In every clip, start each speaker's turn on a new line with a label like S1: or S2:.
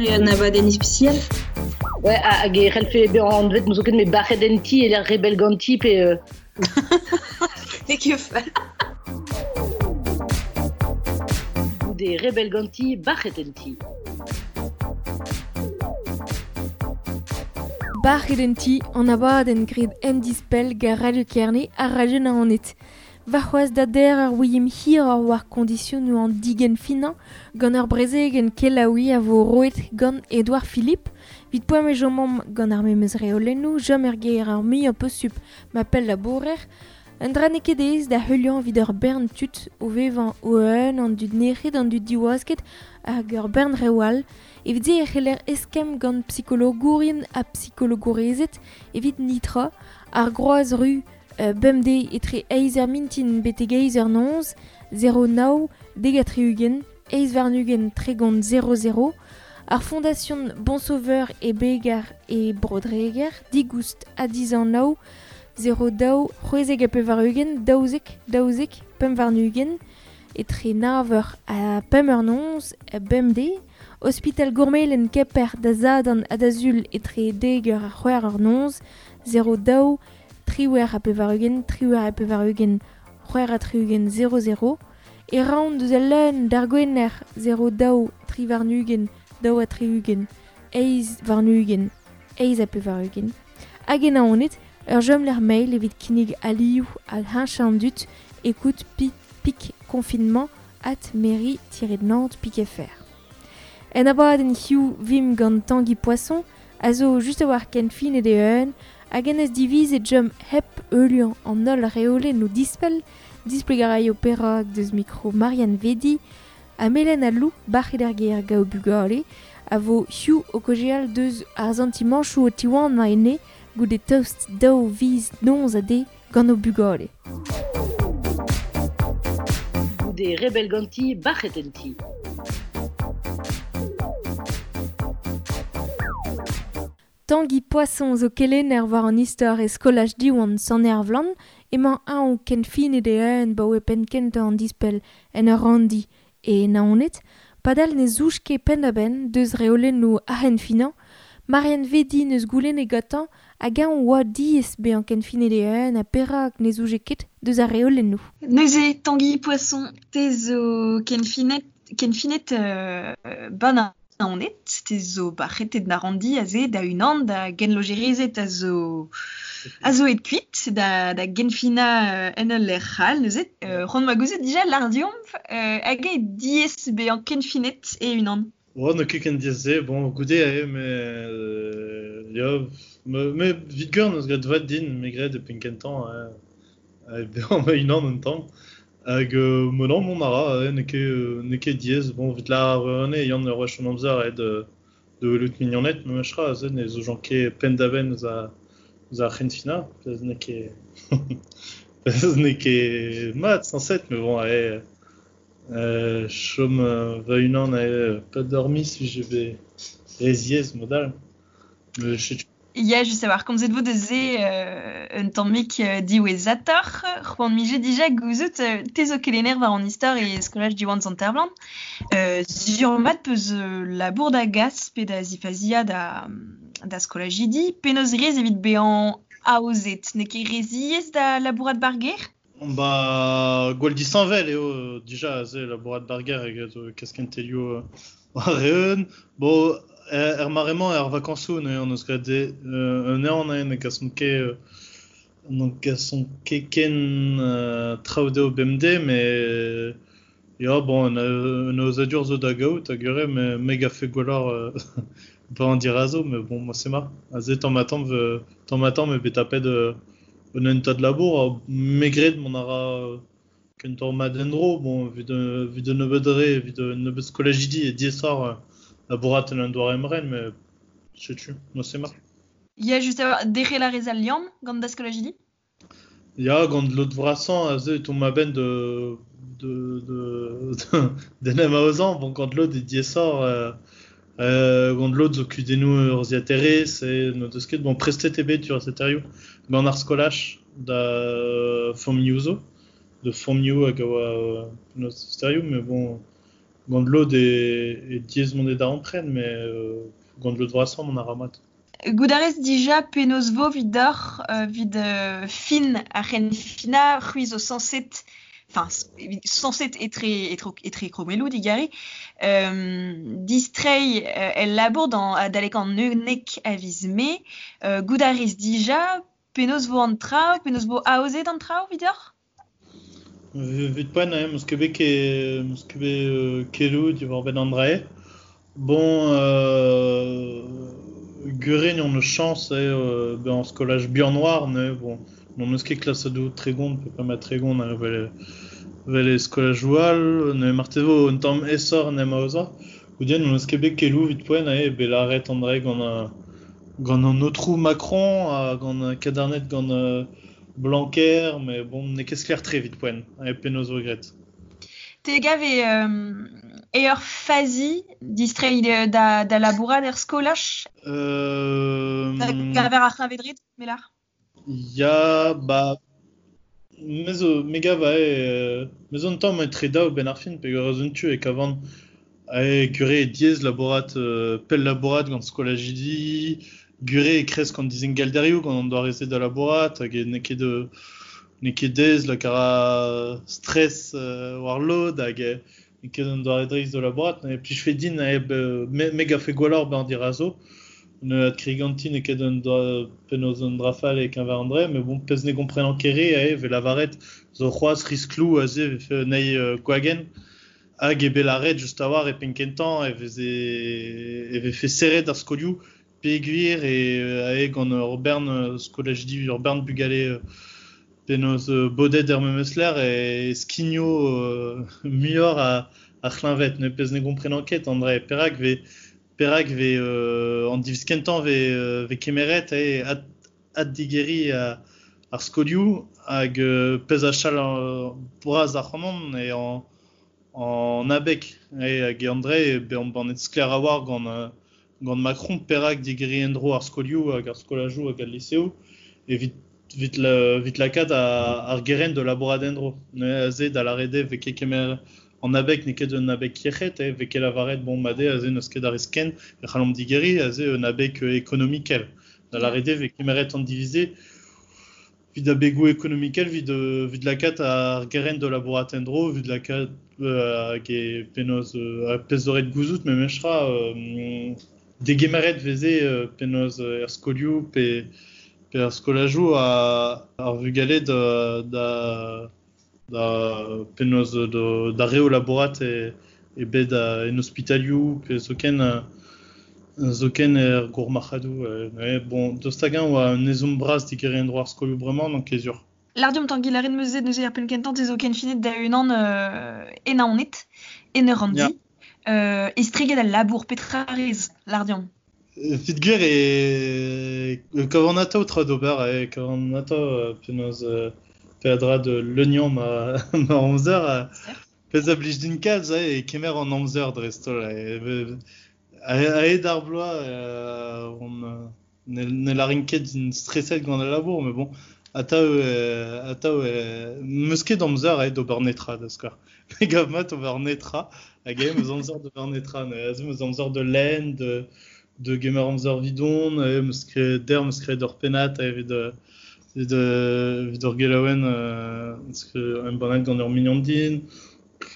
S1: Un abadenn ispisial.
S2: Ouais, hag e c'hellfe bezañ anvet n'ouzon ket met bac'het en ti e lec'h rebell ganti pe
S1: N'eo ket fall.
S2: Goude rebell ganti, bac'het en ti.
S3: Bac'het en ti, an abadenn graet en-dispell gant Radio Kerne ha Radio Naoned. Warc'hoazh da der ur ouiemp hiroc'h war kondisionoù an digenfinañ gant ur brezegenn kelaouiñ a vo roet gant Edouard Philippe. Evit poent e chomomp gant ar memes reolennoù, chom er gêr ar muiañ posupl ma pellabourer. Un dra n'eo ket aes da heuliañ evit ur bern tud o vevañ o-un, an dud nec'het, an dud diwasket hag ur bern reoù all. Evit se e c'heller eskemm gant psikologourien ha psikologourezed evit nitra. Ar Groaz Ru bemdez etre eizh eur mintin betek eizh eur noz, 0 nav dek ha tri-ugent, eizh warn-ugent 30 00, ar Fondation Bon Sauveur e Begar e Bro-Dreger, digoust ha dizanav, 0 2 96 12 12 25, etre nav eur ha pemp eur noz, bemdez, Ospital Gourmelen Kemper da Sadorn ha da Sul etre dek eur ha c'hwec'h eur noz, 0 2 98 98 66 00, e raont deus al leun d'ar Gwener 0 2 23 62 28 88. Hag e Naoned, ur chomlec'h mail evit kinnig alioù hag heñchañ an dud, écoute pic confinement at mairie-nantes.fr. En abadenn hiziv 'vimp gant Tangi Poisson, a zo just a-walc'h kenfinet e-unan, hag en deus divizet chom hep heuliañ an holl reolennoù dispell, displeg a raio perak deus mikro Marianne Vedi ha Melen ha Lou, bac'het er gêr gant o bugale, a vo hiziv o kaozeal deus ar santimanchoù o tiwanañ enne goude tost daou viz noz ha deiz gant o bugale.
S2: Goude rebell ganti, bac'het en ti.
S3: Tangi Poisson zo kelenner war an istor e skolaj Diwan Sant-Ervlan. Emañ eñ kenfinet e-unan 'baoe penn-kentañ an dispell en ur ranndi e Naoned. Padal ne zouj ket penn-da-benn deus reolennoù ar c'henfinañ. Marianne Vedi 'neus goulennet gantañ hag-eñ 'oa diaes bezañ kenfinet e-unan ha perak ne zouje ket deus ar reolennoù.
S4: Neuze, Tangi Poisson, te zo kenfinet, kenfinet 'ba Naoned, te zo bac'hetet da ranndi aze da-unan da genlojerezed a zo a zo aet kuit da, da genfinañ en ul lec'h all neuze. C'hoant 'ma gouzout dija lâr deomp hag eo diaes bezañ kenfinet e-unan.
S5: Oh, n'eo ket ken diaes-se. Bon, goude eo, mais ya, me evit gwir n'eus graet vat din, me 'gred e penn-kentañ bezañ ma-unan un tamm. Hag ma non, mont a ra, n'eo ket n'eo ket diaes. Bon, evit lâr anezhe, Yann ur wech an amzer aet da welout mignoned memes tra, aze ne soñjan ket penn-da-benn eus ar eus ar c'henfinañ, pezh n'eo ket pezh n'eo ket mat sañset, mais bon, ae chom va-unan ae pas dormi si je vais re ziaes mod all. Mais setu
S4: Ya, just a-walc'h, komzet 'vo deus se un tammig diwezhatoc'h. C'hoant 'mije dija gouzout te zo kelenner war an istor e skolaj Diwan Sant-Ervlan. Sur-mat 'peus labour da gas pe da zifaziañ da, da skolajidi. Penaos 'rez evit bezañ aozet? N'eo ket re ziaes da labourat 'bar gêr?
S5: Ba, gwall disheñvel eo dija aze labourat 'bar gêr eget kas kentelioù war-eeun. Bon, er mare-mañ, er vakañsoù, neuze hon eus graet un ehan ne gasomp ket ne gasomp ket ken traoù dezho bemdez, met ya, bon, un aozadur zo da gaout, hag ure, me gavfe gwelloc'h bezañ dirazo, met bon, moi c'est ma. Aze tamm-ha-tamm, tamm-ha-tamm eo bet tapet un hentad labour, me 'gred mont a ra kentoc'h mat en-dro. Bon, evit evit un nebeud re, evit un nebeud skolajidi eo diaesoc'h labourat en un doare emren, met setu, moi c'est mat.
S4: Ya, just a-walc'h, derc'hel a rez al liamm gant da skolajidi?
S5: Ya, gant lod vrasañ aze e tomp a-benn de de de d'en em aozañ. Bon, gant lod eo diaesoc'h gant lod zo kudennoù urzhiataerezh e n'o deus ket. Bon, prestet eo bet urzhiataerioù gant ar skolaj da familhoù zo, de familhoù hag a oa penaos sterioù, mais bon, Gant lod e diaes mont e darempred, met gant lod vrasañ mont a ra mat.
S4: Goût a rez dija penaos vo 'vidoc'h 'vit fin ar c'henfinañ, c'hwi zo sañset, enfin sañset etre kromelloù digare, distreiñ el labour adalek an 11 a viz Mae. Goût a rez dija penaos vo an traoù, penaos vo aozet an traoù 'vidoc'h?
S5: Evit poent, 'meus ket bet 'meus ket bet keloù diwar-benn an dra-se. Bon, Gurin on eus chañs eo bezañ skolaj bihan-noar neuze bon, n'hon eus ket klasadoù 30 pe pemp ha 30 evel e skolajoù all, neuze marteze vo un tamm aesoc'h en em aozañ. Goude n'hon eus ket bet keloù evit poent eo bet lâret an dra gant an aotrou Macron ha gant kadarnet gant Blanquer, met bon, n'eo ket sklaer-tre evit poent, penaos vo graet.
S4: Te gav e ur fazi distreiñ da labourat er skolaj? Da gaver ar c'hleñved-red, melar?
S5: Ya, ba, me zo, me gav me zo un tamm etre daou benn ar fin, peogwir eus un tu e kavan gure diaes labourat, pell labourat gant skolajidi, gure e kresk an dizingalderioù gant an doare-se da labourat, hag n'eo ket n'eo ket aes lakaat a stress war lod hag n'eo ket un doare dreist da labourat. Ne plijfe din me gavfe gwelloc'h bezañ dirazo. Ne adkregiñ n'eo ket un penaos un dra fall e-keñver an dra, met bon, pezh ne gomprenan ket re eo 'vez lavaret zo c'hoazh riskloù aze 'vefe un eil gwagenn. Hag eo bet lâret just a-walc'h e penn-kentañ e vefe serret ar skolioù peogwir e gant ur bern skolajidi, ur bern bugale penaos bodet er memes lec'h e skigno muioc'h ar c'hleñved. Ne pezh ne gomprenan ket, an dra perak 'vez an diviz kentañ 'vez kemeret addigeriñ ar skolioù hag pezh a chal bras ac'hanon eo an abeg hag an dra bezañ bannet sklaer a-walc'h gant Macron perak digeriñ en-dro ar skolioù hag ar skolajoù hag al liseoù evit lakaat ar gerent da labourat en-dro. Neuze aze da lâret eo 'vez ket kemer an abeg n'eo ket un abeg yec'hed, 'vez ket lavaret bon mat eo aze n'eus ket a risk ken e c'hallomp digeriñ aze un abeg ekonomikel. Da lâret eo 'vez kemeret an diviz-se evit abegoù ekonomikel evit lakaat ar gerent da labourat en-dro, evit lakaat hag e penaos pezh zo ret gouzout memestra degemeret 'veze penaos er skolioù pe er skolajoù ar vugale da penaos da re o labourat e bed en ospitalioù pe zoken er gourmarc'hadoù. Bon, daoust hag-eñ oa un ezhomm bras digeriñ en-dro ar skolioù bremañ, n'on ket sur.
S4: Lardiom Tangi lâret 'm eus neuze ar penn-kentañ te zo kenfinet da-unan e Naoned, en ur ranndi. Estreget al labour, petra rez, Lardiom?
S5: Evit gwir e kavan atav tra d'ober, e kavan atav penaos peadra da leuniañ ma amzer. Pezh a blij din kalz e kemer an amzer dreist-holl. A-hed ar bloaz, on ne lârin ket din streset gant al labour, met bon, atav 'meus ket amzer d'ober netra da skouer. Me gav mat ober netra, hag eo 'meus amzer d'ober netra. Aze 'meus amzer da lenn, de gemer amzer vidon, 'meus ket der 'meus graet ur pennad evit ur gelaouenn embannet gant ur mignon din.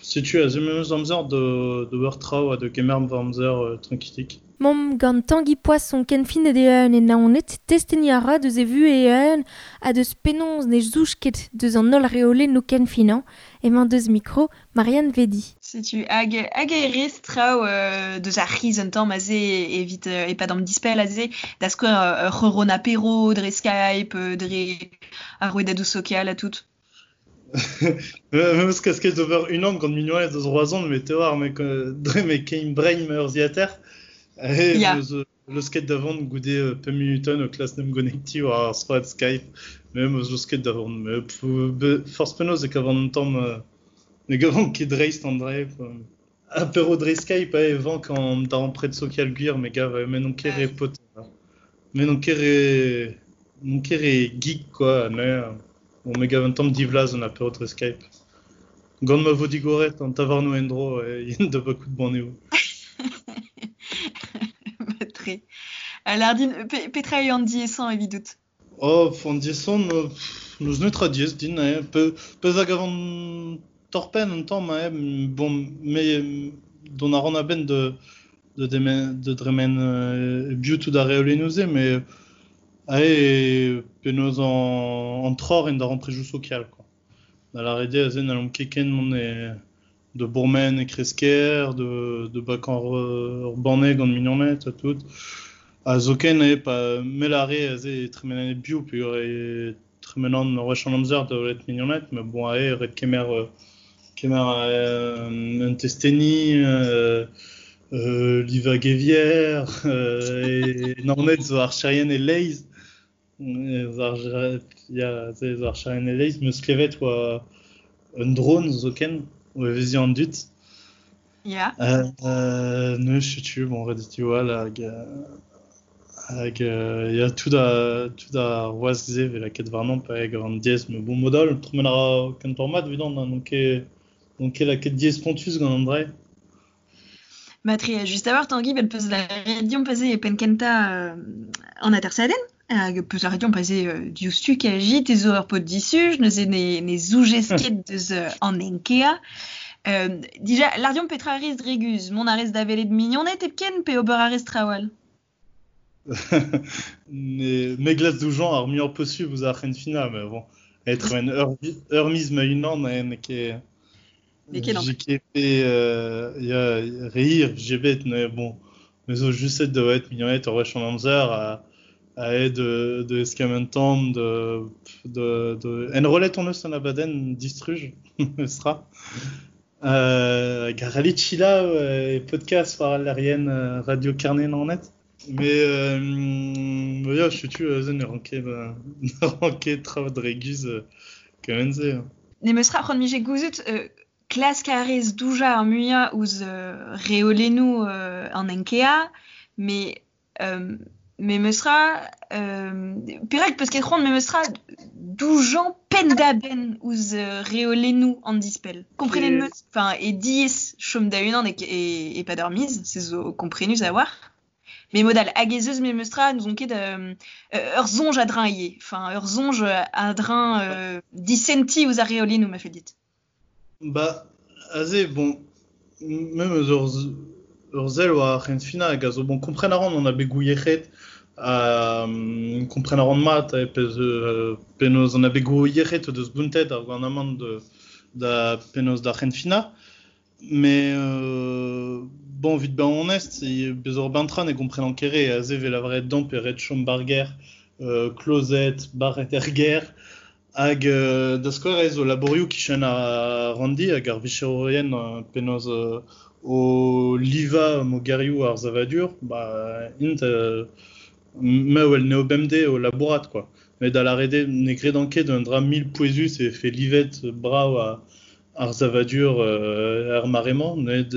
S5: Setu aze meus amzer d'ober traoù ha da gemer va amzer trankilik.
S3: Mom gant Tangi Poisson kenfinet e-eun e Naoned, testeni a ra deus e vu e-eun ha deus penaos ne zouj ket deus an holl reolennoù kenfinañ, emañ deus mikro Marianne Vedi.
S4: Setu hag e rez traoù deus ar c'hiz un tamm aze evit e-pad an dispell aze, da skouer ur c'horon apéro dre Skype, dre ar rouedadoù sokial ha tout.
S5: Meus kasket d'ober unan gant mignon deus Roazhon, met te oar, dre me kein brein ma urzhiataer. Meus leusket da vont goude pemp minutenn o klask 'n em gonektiñ war ar strollad Skype. Me meus leusket da vont. Forzh penaos e kavan un tamm ne gavan ket dreist an dra. Apéro dre Skype e vank an darempred sokial gwir, me gav, me n'on ket re paotr. Me n'on ket re geek, quoi. Mais, bon, me gav un tamm divlaz an apéro dre Skype. Gant ma vo digoret an tavarnoù en-dro e yen da bakout banneoù.
S4: Tre. Lardin, petra eo an diaesañ evidout?
S5: Oh, an diaesañ, n'eus netra diaes din. Eh. Pezh a gavan torr-penn un tamm, eh. Bon, me dont a ran a-benn de, de, de dremen bio tout ar reolennoù-se, mais ae penaos an troc'h en darempredoù sokial, quoi. Da lâret eo aze n'hallomp ket ken mont e, de bourmen e kresker, de bakañ ur banne gant mignoned ha tout. Ha zoken eo pa me lâre aze e tremenan e-biou peogwir e tremenan ur wech an amzer da welet mignoned, met bon aze ret kemer kemer un testeni, livañ gevier, e Naoned zo archerien e-leizh. Ya, se zo archerien e-leizh. 'Meus klevet oa un drone zoken o evezhiañ an dud.
S4: Ya.
S5: Neuze setu, bon, ret eo diwall hag hag ya, tout a tout ar wask-se 'vez lakaet warnañ pa eo an diaes. Met bon, mod all, tremen a ra kentoc'h mat evidon, n'on ket n'on ket lakaet diaes spontus gant an dra.
S4: Matre, just a-walc'h, Tangi, bet peus lâret deomp aze e penn-kentañ an atersadenn, hag peus lâret deomp aze diouzhtu kaji, te zo ur paotr disuj, neuze ne zoujez ket deus an Enkea. Dija, lâr deomp petra a rez dre guzh, mont a rez da welet mignoned hepken pe ober a rez traoù all?
S5: Me glask doujañ ar muiañ posubl ouzh ar c'henfinañ, mais bon, être un ur miz ma-unan n'eo ket...
S4: N'eo ket
S5: J'ai ket fait ya re hir vije bet, mais bon, me zo juste da welet mignoned ur wech an amzer ha aet de eskemm un tamm, de enrollet on eus an abadenn distruj, sera. Hag Chila e podcast war al lec'hienn Radio Kerne Naoned. Mais ya, setu aze ne ran ket ne ran ket traoù dre guzh kement-se.
S4: Ne meus ra c'hoant mije gouzout klask a rez doujañ ar muiañ ouzh reolennoù an Enkea, mais memestra, perak peus ket c'hoant memestra doujañ penn-da-benn ouzh reolennoù an dispell? Komprenet 'meus, enfin, e diaes chom da-unan e-pad ur miz, se zo komprenus a-walc'h. Mais mod all, hag ez eus memestra, n'ouzon ket, ur soñj a-dreñv ivez, enfin, ur soñj a-dreñv disentiñ ouzh ar reolennoù, ma fell dit.
S5: Ba, aze, bon, me 'meus ur sell war ar c'henfinañ hag a zo bon kompren a ran an abegoù yec'hed, kompren a ran mat pezh penaos an abegoù yec'hed o deus bountet ar gouarnamant da penaos d'ar c'henfinañ. Mais bon, evit bezañ onest, bez ur bern-tra ne gomprenan ket re. Aze 'vez lavaret deomp e ret chom ba'r gêr, klozet, barret er gêr. Hag da skouer ez zo labourioù kichen ar ranndi hag ar vicherourien penaos o livañ mogerioù ar savadur, ba int me a wel anezho bemdez o labourat quoi. Met da lâret eo ne gredan ket un dra mil pouezus e vefe livet brav ar savadur er mare-mañ. Met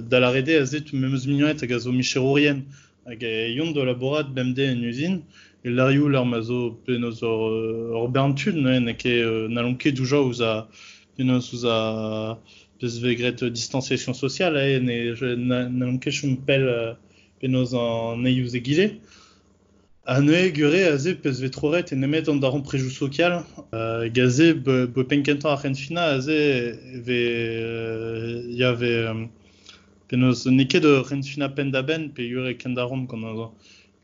S5: da lâret eo aze memes mignoned hag a zo micherourien hag e yont da labourat bemdez en uzin. E lârioù lec'h ma zo penaos ur bern tud neuze n'eo ket n'hallont ket doujañ ouzh ar penaos ouzh ar pezh vez graet distanciation sociale eh, n'hallont ket chom pell penaos an eil ouzh egile. Ha neuze gure aze pezh vez troret e nemet an darempredoù sokial. Hag aze bo penn-kentañ ar c'henfinañ aze e vez ya vez penaos n'eo ket ur c'henfinañ penn-da-benn peogwir e kendaromp gant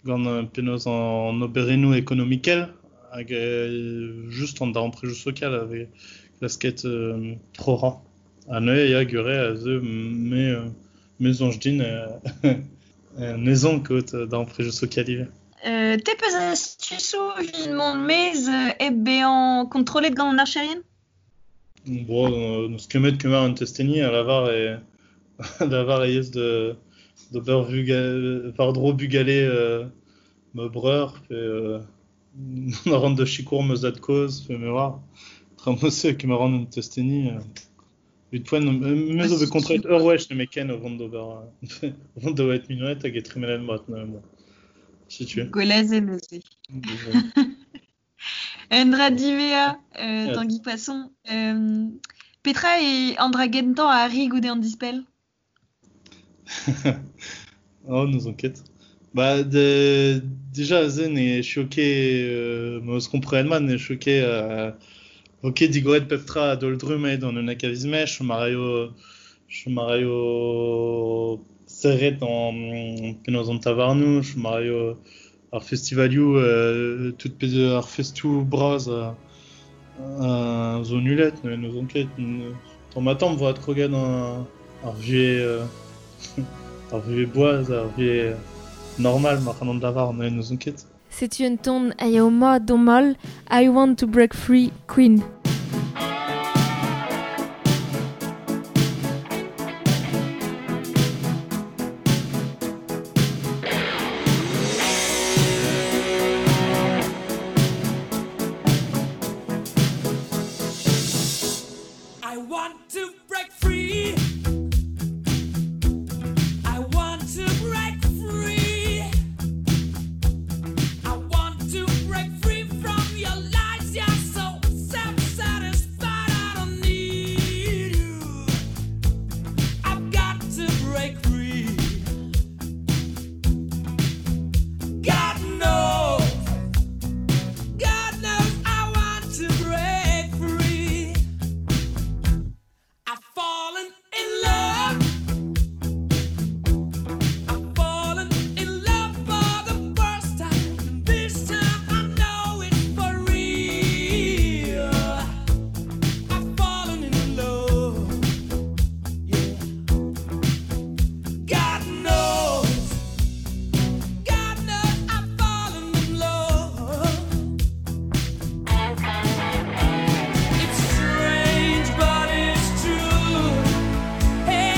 S5: gant penaos an oberennoù ekonomikel hag just an darempredoù sokial a vez klasket troc'hañ. Ha neuze ya gure aze me soñj din ne zon ket darempredoù sokial ivez.
S4: Te peus astusoù evit mont maez hep bezañ kontrollet gant an archerien?
S5: Bon, n'eus ket met kemer un testeni a lavar e lavar e yezh de d'ober war-dro bugale ma breur pe mont a ran da sikour ma zad-kozh pe me oar. Tra ma-se kemer a ran un testeni. Evit poent, me zo bet kontraet ur wech nemetken o vont d'ober o vont da welet mignoned hag e tremenet mat neuze bon. Setu.
S4: Gwell neuze. Un dra diwezhañ, Tangi Poisson. Petra e an dra gentañ a arri goude an dispell?
S5: Oh, n'ouzon ket. Ba, de, déjà, aze ne choqué, ma eus komprenet mat, ne choqué, vo ket digoret pep tra a-daol trumm aet an un akavizmech, chom a raio serret an penaos an tavarnoù, chom a raio ar festivalioù, tout pezh ar festoù bras zo nullet, n'ouzon ket. Tamm ha tamm vo adkroget ar vuhez ar vuhez boaz, ar vuhez normal ma c'hallan lavar, n'ouzon ket.
S3: Setu un ton a yao mat d'hon mal, I Want to Break Free, Queen.
S1: I want to break free. I want to break free. I want to break free from your lies. You're so self-satisfied. I don't need you. I've got to break free. God knows. God knows I want to break free. I've fallen in love. I've fallen in love for the first time. This time I know it's for real. I've fallen in love. Yeah. God knows. God knows I've fallen in love. It's strange, but it's true. Hey,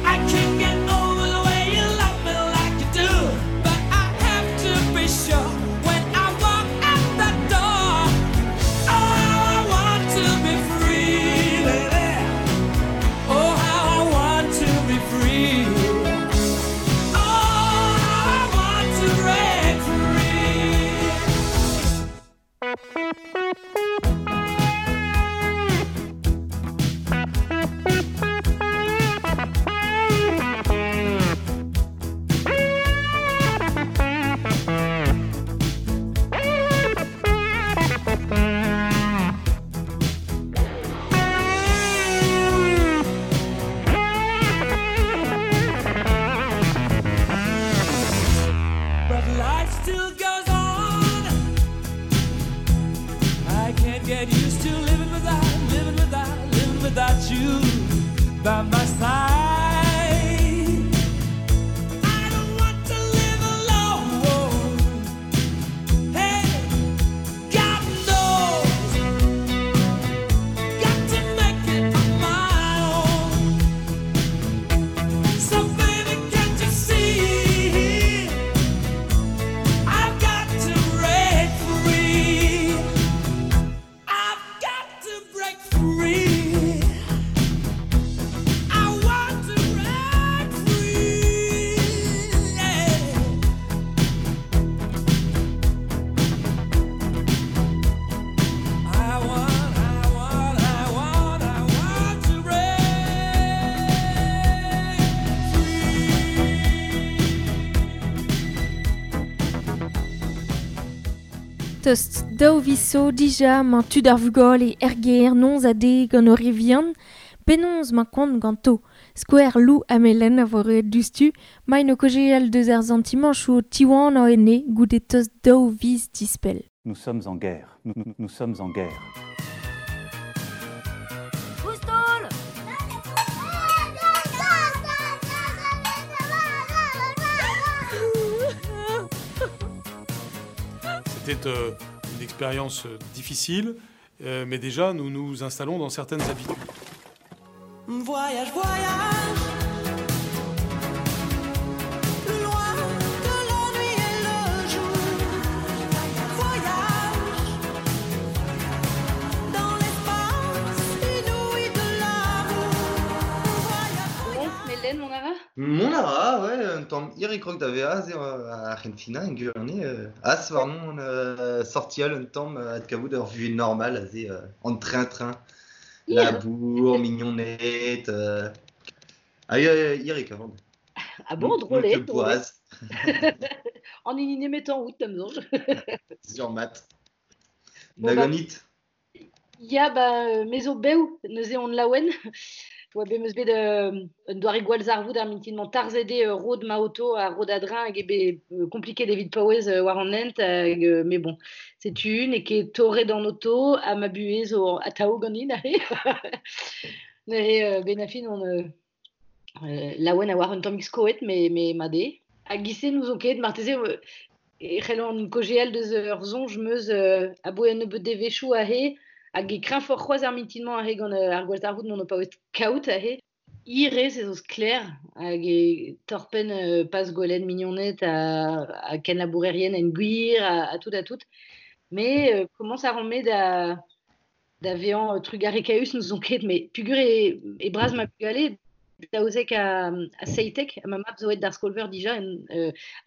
S1: I can't get over the way you love me like you do. But I have to be sure when I walk out the door. Oh, how I want to be free, baby. Oh, how I want to be free. Oh, how I want to break free. But life still goes on. I can't get used to living without, living without, living without you by my side. I don't want to live alone. Hey, God knows, got to make it on my own. So baby, can't you see? I've got to break free. I've got to break free. I want to break free. Yeah. I want, I want, I want, I want to break
S3: Tost daou viso dija mañ tud ar vugale er gêr noz a de gant o re vihan, penaos mañ kont ganto. Skouer Lou ha Melen a vo roet diouzhtu, maint o kaozeal deus ar santimanchoù o tiwan o ene goude tost daou viz dispell.
S6: Nous sommes en guerre. Nous, nous, nous sommes en guerre.
S7: Oustol.
S8: C'était une expérience difficile, mais déjà nous nous installons dans certaines habitudes.
S1: Voyage, voyage, plus loin que la nuit et le jour. Voyage dans l'espace inouï de l'amour. Voyage,
S2: Bon, Melen, mon ara?
S9: Mon ara, ouais, un tamm hir e krog da vezañ aze ar c'henfinañ en gwirionez, as warnon sortial un tamm adkavout ur vuhez normal aze an train-train. Labour, mignoned, Ah ya, ya, hir e kavan.
S2: Ah bon,
S9: N'on
S2: drôle,
S9: ket
S2: drôle.
S9: boaz.
S2: An hini nemetañ out, da'm soñj.
S9: Sur mat.
S2: Bon,
S9: Na
S2: bah,
S9: ganit?
S2: Ya, ba, me zo bev, neuze on laouen. Oa bet 'meus bet un doare gwallzarvoud ar mintin-mañ tarzhet eo rod ma oto ha rod a-dreñv hag eo bet kompliket evit paouez war an hent hag mais bon, setu, n'eo ket torret an oto ha ma buhez zo atav ganin aze. Neuze 'benn ar fin on laouen a oar un tammig skoet met mat eo. Hag giz-se n'ouzon ket, marteze e c'hellan kaozeal deus ur soñj 'meus aboe un nebeud devezhioù aze hag e kreñvoc'h c'hoazh ar mintin-mañ aze gant ar gwallzarvoud m'on o paouez kaout aze. Hir-eo se zo sklaer hag e torr-penn pas gwelet mignoned ha kenlabourerien en gwir ha tout ha tout. Mais komañs a ran-me da vezañ trugarekaüs n'ouzon ket, met peogwir e bras ma bugale 12 ha 17 ha ma mab zo aet d'ar skol-veur dija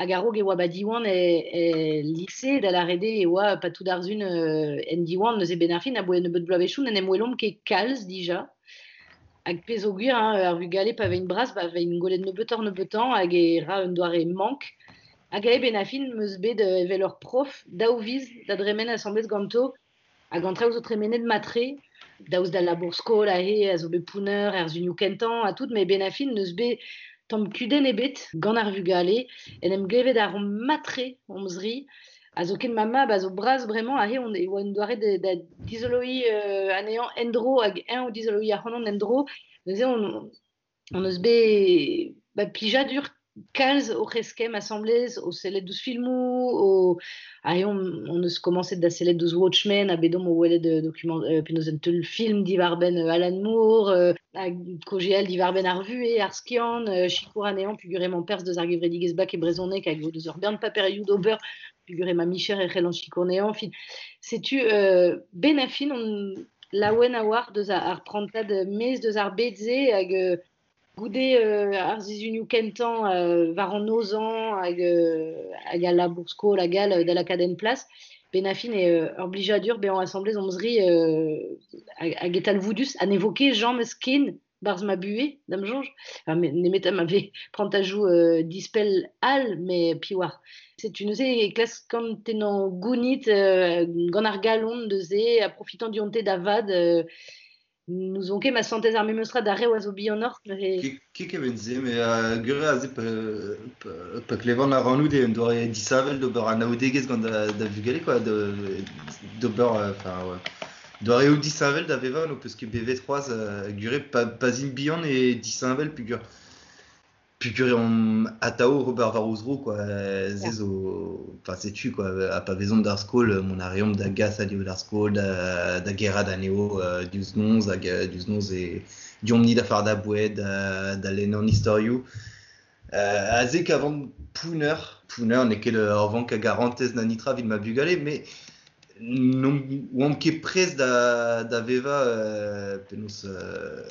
S2: hag a-raok e oa ba Diwan e lise, da lâret eo e oa pa tout ar sun en Diwan neuze 'benn ar fin aboe un nebeud bloavezhioù n'en em welomp ket kalz dija. Hag pezh zo gwir, hein, ar vugale pa veint bras, pa veint gwelet nebeutoc'h-nebeutañ hag e ra un doare mank. Hag aet 'benn ar fin 'meus bet evel ur prof daou viz da dremen asambles ganto hag an traoù zo tremenet mat-tre, daoust d'al labour-skol aze a zo bet pounner er sunioù kentañ ha tout, met 'benn ar fin n'eus bet tamm kudenn ebet gant ar vugale. En em glevet a reomp mat-tre hon zri. Ha zoken ma mab a zo bras bremañ aze on e oa un doare da dizoloiñ anezhañ en-dro hag eñ o dizoloiñ ac'hanon en-dro. Neuze on eus bet ba, plijadur kalz oc'h eskemm asambles, o sellet ouzh filmoù, o aze on eus komañset da sellet ouzh Watchmen ha bet omp o welet document penaos un teulfilm diwar-benn Alan Moore, hag kaozeal diwar-benn ar vuhez, ar skiant, sikour anezhañ peogwir emañ perzh deus ar gevredigezh Bak e brezhoneg hag o deus ur bern paperioù d'ober peogwir emañ micher e c'hellan sikour anezhañ. Enfin, setu 'benn ar fin on laouen a-walc'h deus ar prantad maez deus ar bed-se hag goude ar sizhunioù kentañ war an nozañ hag al labour-skol hag all da lakaat en plas, 'benn ar fin eo ur blijadur bezañ asambles hon zri hag e talvoudus ha ne vo ket james ken 'barzh ma buhez, da'm soñj. Enfin, nemet ma vez prantajoù dispell all, met piv 'oar. Setu neuze e klaskan tennañ gounid gant ar galon neuze ha profitañ dionte da vat. N'ouzon ket ma santez ar memes tra d'ar reoù a zo bihanoc'h neuze.
S9: Ket kement-se, met gwir eo aze pa klevan ac'hanout eo un doare disheñvel d'ober anaoudegezh gant da vugale quoi, d'ober enfin ouais. Doareoù disheñvel da vevañ n'ho peus ket bevet c'hoazh gwir eo pa 'z int bihan eo disheñvel peogwir omp atav ober war o zro quoi, se zo enfin setu quoi, ha pa vezomp d'ar skol mont a reomp da gas anezho d'ar skol, da gerc'hat anezho diouzh noz hag diouzh noz e deomp-ni da fardañ boued, da lenn an istorioù. Aze kavan pounner, pounner n'eo ket ur vank a garantez na netra evit ma bugale, met n'oamp ket prest da vevañ penaos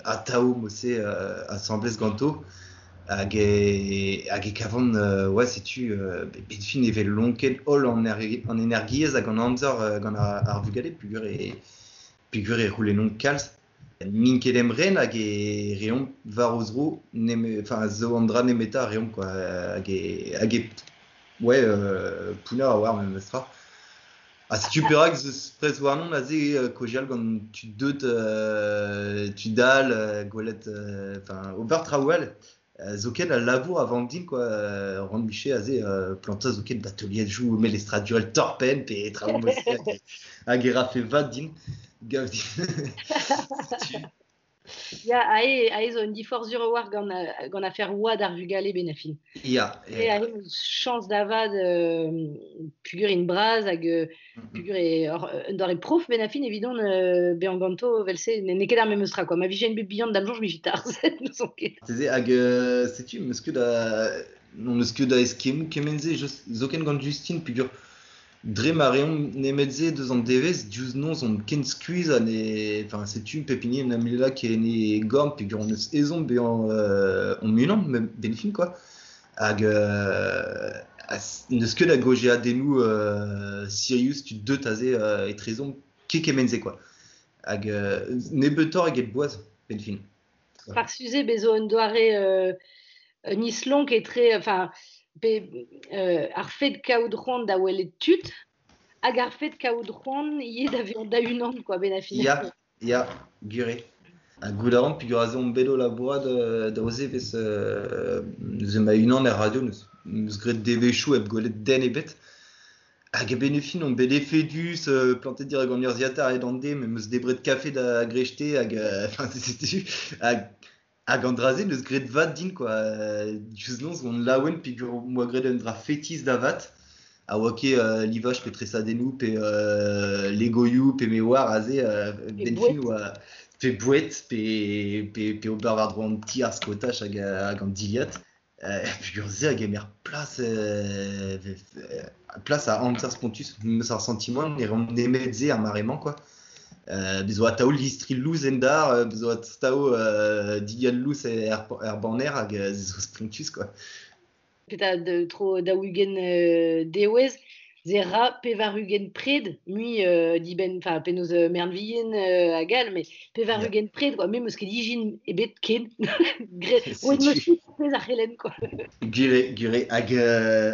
S9: atav mod-se asambles ganto. Hag e kavan ouais setu bet fin e vez lonket holl an energiezh hag an amzer gant ar vugale peogwir e c'houlennont kalz. N'int ket emren hag e reomp war o zro enfin zo an dra nemetañ a reomp quoi hag e ouais pounner a-walc'h memestra. Ha setu perak ez eus prest warnon aze kaozeal gant tud deut, tud all, gwelet, enfin ober traoù all. Zoken al labour a vank din quoi, ran miche aze plantañ zoken bateliadoù melestradurel torr-penn pe traoù mod-se hag e rafe vat din, gav din. Setu.
S2: Ya, aze zo un diforc'h sur a-walc'h gant afer oad ar vugale 'benn ar fin.
S9: Ya,
S2: E aze 'meus chañs da vat peogwir int bras hag peogwir eo un doare prof 'benn ar fin evidon bezañ ganto evel-se n'eo ket ar memes tra quoi. Ma vijen bet bihan da'm soñj 'mije tarzhet, n'ouzon ket.
S9: Marteze hag setu 'meus ket da n'on eus ket da eskemmoù kement-se zoken gant Justine peogwir dre ma reomp nemet-se deus an devezh, diouzh noz omp ken skuizh ha ne enfin setu pep hini en em lak en e gorn peogwir hon eus ezhomm bezañ hon-unan benn fin quoi. Hag n'eus ket a gaozeadennoù sirius tud deut aze etrezomp ket kement-se quoi. Hag nebeutoc'h eget boaz, benn fin.
S2: Par suze bezo un doare un islonk etre, enfin, pe ar fed kaout c'hoant da welet tud, hag ar fed kaout c'hoant ivez da vezañ da unan, quoi, ben a fin.
S9: Ya, ya, gure. Ha goût a ran peogwir aze omp bet o labourat da oze vez neuze ma unan er radio neus graet devezhioù hep gwelet den ebet. Hag a-benn ar fin on bet efedus, plantet dirak an urzhiataer a-hed an deiz, me 'm eus debret kafe da grechte hag enfin setu hag an dra-se neus graet vat din quoi. Diouzh noz on laouen peogwir 'm boa graet un dra fetis da vat. A oa ket livaj pe tresadennoù pe legoioù pe me oar aze
S2: Pe
S9: benn fin
S2: boued.
S9: oa pe boued pe ober war-dro an ti ar skaotaj hag an dilhad. Peogwir se a gemer plas plas a amzer spontus. 'Meus ar santimant ne reomp nemet se ar mare-mañ quoi. Bez zo atav listri lous en dar, bez zo atav dilhad lous er banner hag se zo spontus quoi.
S2: Petra tro 40 dewezh, ze ra 80 pred, mui dibenn, enfin penaos mern-vihan hag all, mais 80 pred, quoi. Me 'meus ket ijin ebet ken. Graet, roet 'meus
S9: Setu.
S2: tout pezh ar c'helenn, quoi.
S9: Gwir eo, gwir eo. Hag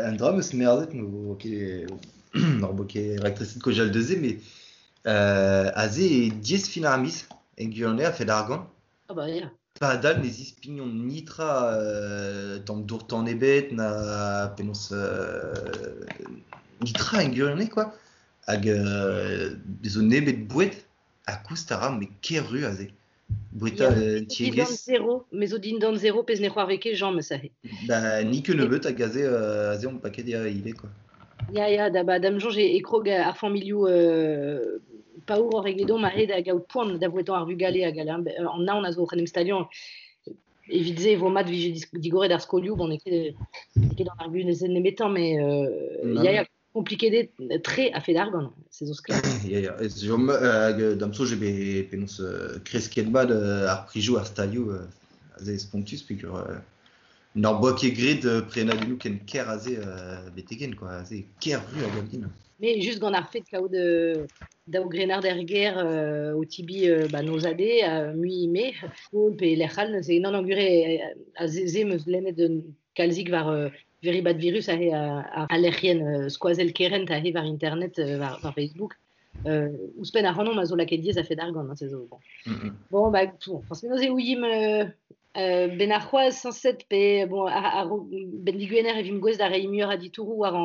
S9: un dra 'm eus merzet, n'o ket n'hor bo ket raktreset kaozeal deus se, mais aze eo diaes fin ar miz, en gwirionez a-fet argant.
S2: Ah bah ya.
S9: Padal ne zispignont nitra tamm dour-tan ebet na penaos nitra en gwirionez quoi. Hag zo nemet boued ha koust a ra met ker-ru aze. Boueta
S2: Ya, me zo dindan
S9: tiegezh.
S2: zero, me zo dindan zero pezh ne c'hoarve ket james aze.
S9: Ba ni ket nebeut hag aze aze omp paket ya ivez quoi.
S2: Ya, ya, da, ba, da'm soñj e krog ar familhoù paouroc'h egedomp aze da gaout poan da vouetañ ar vugale hag all, hein. An naon a zo oc'h en em staliañ. Evit se e vo mat vije digoret ar skolioù, bon, n'eo ket an arguzenn nemetañ, mais ya, ya, kompliket eo tre a-fet argant, se zo sklaer.
S9: Ya, ya, ez jom hag da'm soñj eo bet penaos kresket mat ar prizioù ar stalioù aze spontus peogwir n'hor boa ket graet prenadennoù ken ker aze betek-henn quoi, aze ker-ru a gav din.
S2: Mais just gant ar fed kaout daou grennard er gêr o tibi ba noz-ha-dez mui me, skol pe lec'h all, neuze non, non, gwir eo aze se 'm eus lennet un kalzik war Very Bad Virus aze a lec'hienn skoazell kerent aze war internet war Facebook. Ouzhpenn ac'hanomp a zo lakaet diaes a-fet argant, hein, se zo bon. Bon, bah, bon, forcément, e ouiimp ben ar c'hoazh sañset pe bon, ar ben digwener e vimp gouest da reiñ muioc'h a ditouroù war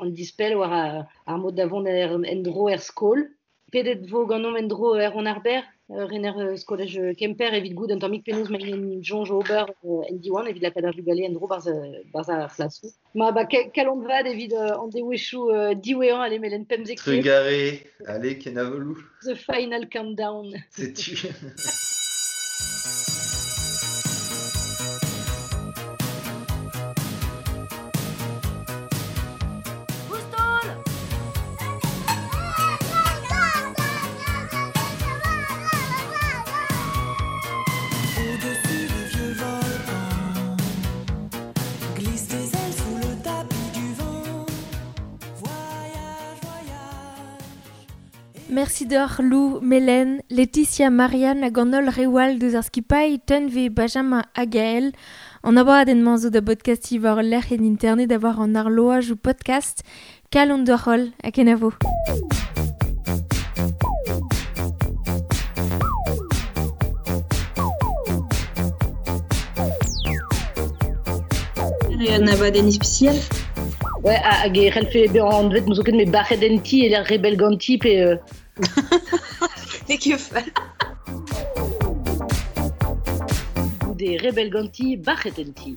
S2: an dispell war ar mod da vont en-dro er skol. Pedet vo ganeomp en-dro Erwan ar Berr, rener skolaj Kemper evit goût un tammig penaos ma en soñj ober en Diwan evit lakaat ar vugale en-dro barzh ar c'hlasoù. Ma ba kalon vat evit an devezhioù diwezhañ ale melen 15
S9: Trugarez, allez, kenavo.
S2: The final countdown.
S9: Setu.
S1: Au-dessus des vieux volcans, glisse tes ailes sous le tapis du vent. Voyage, voyage.
S3: Merci deoc'h Lou, Melen, Laetitia, Marianne hag an holl reoù all deus ar skipailh, Tunve, Benjamin hag Gaël. An abadenn-mañ zo da bodkastiñ war ul lec'h en internet da war an arloaj ou podcast. Kalon deoc'h holl ha kenavo.
S4: Un abadenn ispisial.
S2: Ouais, hag e c'hellfe bezañ anvet n'eus ket me bac'het en ti e lec'h rebel ganti pe
S4: Ne ket fall.
S2: Goude rebel ganti, bac'het en ti.